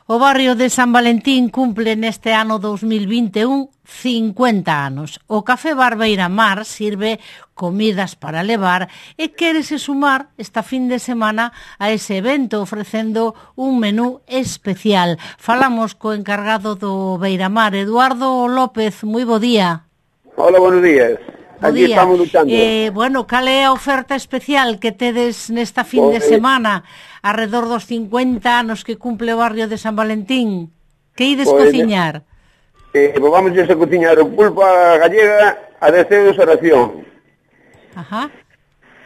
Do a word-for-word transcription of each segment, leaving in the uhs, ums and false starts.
O barrio de San Valentín cumple neste ano dous mil vinte e un cincuenta anos. O Café Bar Beiramar sirve comidas para levar e quérese sumar esta fin de semana a ese evento ofrecendo un menú especial. Falamos co encargado do Beiramar, Eduardo López. Moi bo día. Hola, buenos días. Bo Aquí día. estamos luchando. Eh, bueno, cal é a oferta especial que tedes nesta fin de Pois, semana arredor dos cincuenta anos que cumple o barrio de San Valentín? Que ides Pois, cociñar? Eh, pues vamos a cociñar o pulpa gallega a dez euros a ración. Ajá.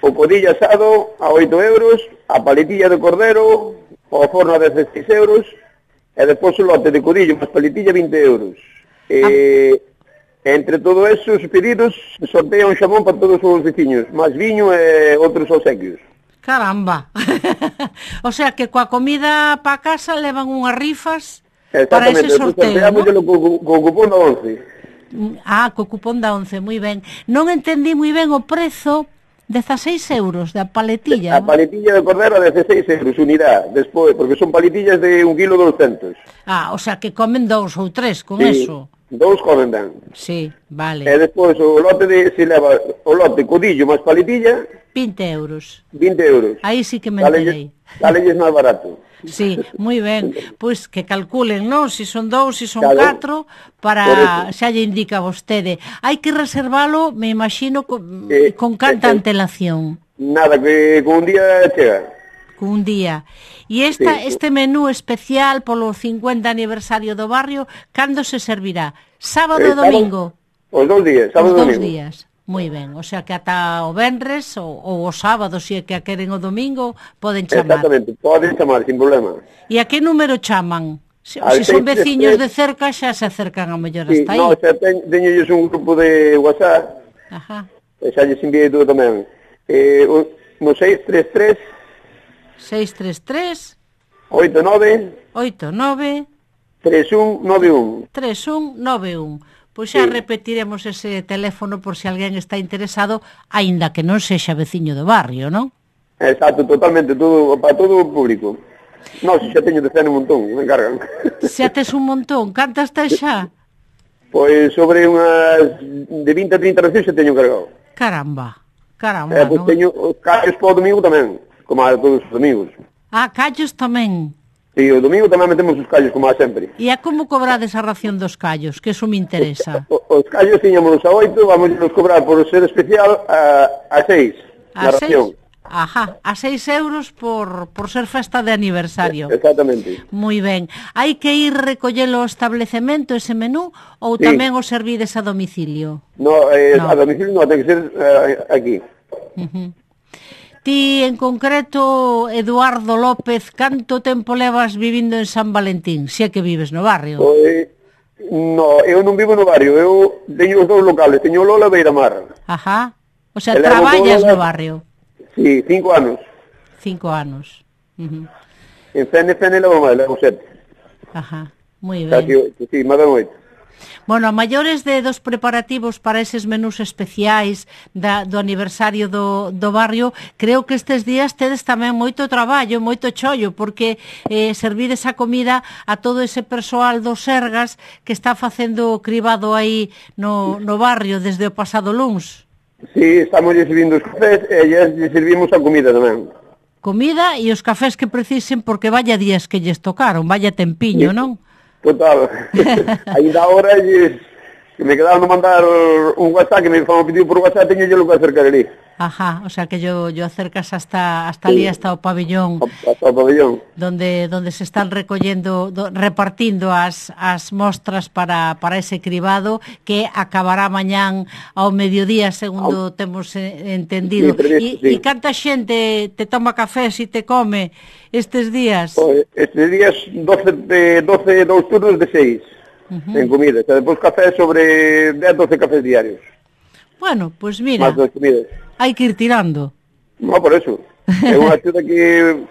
O codillo asado a oito euros, a paletilla de cordero ao forno a dezasseis euros e depois o lote de codillo máis paletilla vinte euros. E, ah. entre todo esos pedidos sortea un xamón para todos os veciños, máis viño e outros obsequios. Caramba. O sea que coa comida pa casa levan unhas rifas para ese sorteo, ¿no? Co, co cupón da once. Ah, co cupón da once, moi ben. Non entendí moi ben o prezo, dezasseis euros da paletilla. A paletilla de cordero a dezasseis euros, unidade, despois, porque son paletillas de un kilo doscientos. Ah, o sea que comen dous ou tres con sí, eso. Dous comen ben. Sí, vale. E despois o lote de, se leva o lote codillo máis paletilla, vinte euros. vinte euros. Aí sí que me enterei. Dale máis barato. Sí, moi ben. Pois que calculen, non? Si son dous, si son claro, catro, para xa lle indica vostede. Hai que reservalo, me imagino, con, eh, con canta eh, antelación. Nada, que con un día chega. Con un día. E esta, sí, este menú especial polo cincuenta aniversario do barrio, cando se servirá? Sábado e eh, domingo? Os dous días, sábado e domingo. Os dous días. Moi ben, o sea que ata o venres ou, ou o sábado, se é que a queren o domingo, poden chamar. Exactamente, poden chamar, sin problema. E a que número chaman? Se, se son veciños de cerca, xa se acercan a mellor sí, hasta aí. No, xa ten, teñolles un grupo de WhatsApp, ajá, e xa lles enviei todo tamén. Eh, no seis tres tres seis tres tres oito nove oito nove tres un nove un tres un nove un. Pois xa sí, repetiremos ese teléfono por se alguén está interesado, aínda que non sexa veciño do barrio, non? Exacto, totalmente, todo, para todo o público. Non, se xa teño de cena un montón, me encargan. Xa tes un montón, cantas tes xa? Pois sobre unhas de vinte a trinta racións xa teño cargado. Caramba, caramba, eh, pois non? Teño os callos para o domingo tamén, como a todos os domingos. Ah, callos tamén. Sí, o domingo tamén metemos os callos, como a sempre. E a como cobrades a ración dos callos? Que eso me interesa. O, os callos tiñamos a oito, vamos a cobrar por ser especial a, a seis, a na ración. Seis? Ajá, a seis euros por, por ser festa de aniversario. Exactamente. Moi ben. Hai que ir recollelo ao establecemento ese menú ou sí, tamén o servides a domicilio? No, eh, no. a domicilio non, ten que ser eh, aquí. Uh-huh. Ti, en concreto, Eduardo López, canto tempo levas vivindo en San Valentín? Si é que vives no barrio. Pois, no, eu non vivo no barrio, eu teño os dous locales, teño Lola e Beiramar. Ajá, o sea, traballas no barrio. Sí, cinco anos. Cinco anos. Uh-huh. En Fene, Fene levo máis, levo sete. Ajá, moi ben. Casi oito, sí, máis ben oito. Bueno, a maiores de dos preparativos para eses menús especiais da, do aniversario do, do barrio, creo que estes días tedes tamén moito traballo, moito chollo, porque eh, servides a comida a todo ese persoal dos Sergas que está facendo o cribado aí no, no barrio desde o pasado luns. Sí, estamos servindo os cafés e ya lle servimos a comida tamén. Comida e os cafés que precisen, porque vaya días que lles tocaron, vaya tempiño, sí, non? Total. Ainda ahora lles, que me quedaron de mandar un WhatsApp, que me fan pedido por WhatsApp, teño yo lo que acercar ali. Ajá, o sea que yo, yo acercas hasta hasta sí, ali, hasta o pabellón. Hasta o pabellón. Donde donde se están recollendo, do, repartindo as, as mostras para, para ese cribado que acabará mañán ao mediodía, segundo oh, temos entendido. E sí, sí, canta xente te toma café e te come estes días? Pues, estes días doce, de, doce, dous turnos de seis, uh-huh, en comida. E depois café sobre dez, doce cafés diarios. Bueno, pois pues mira, hai que ir tirando. No, por eso. É unha axuda que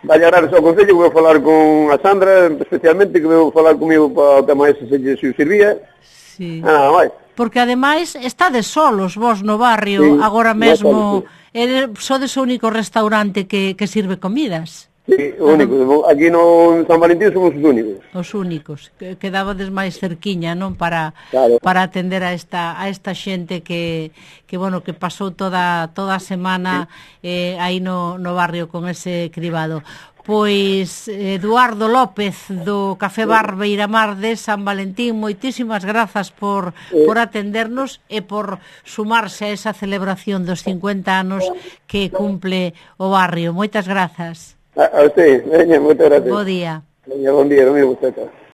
vai agradar ao Concello, que vou falar con a Sandra, especialmente, que vou falar comigo para o tema ese, se lle servía. Sí. Ah, nada máis. Porque ademais estades solos vos no barrio, sí, agora mesmo, no, sodes o único restaurante que, que sirve comidas. Sí, únicos. Aquí no San Valentín somos os únicos. Os únicos. Quedabades máis cerquiña, non? Para claro. para atender a esta a esta xente que que bueno, que pasou toda toda a semana eh, aí no no barrio con ese cribado. Pois Eduardo López do Café Bar Beiramar de San Valentín, moitísimas grazas por por atendernos e por sumarse a esa celebración dos cincuenta anos que cumple o barrio. Moitas grazas. A, a usted, veña, moitas gracias. Bo día. Veña, bon día, non me gusta.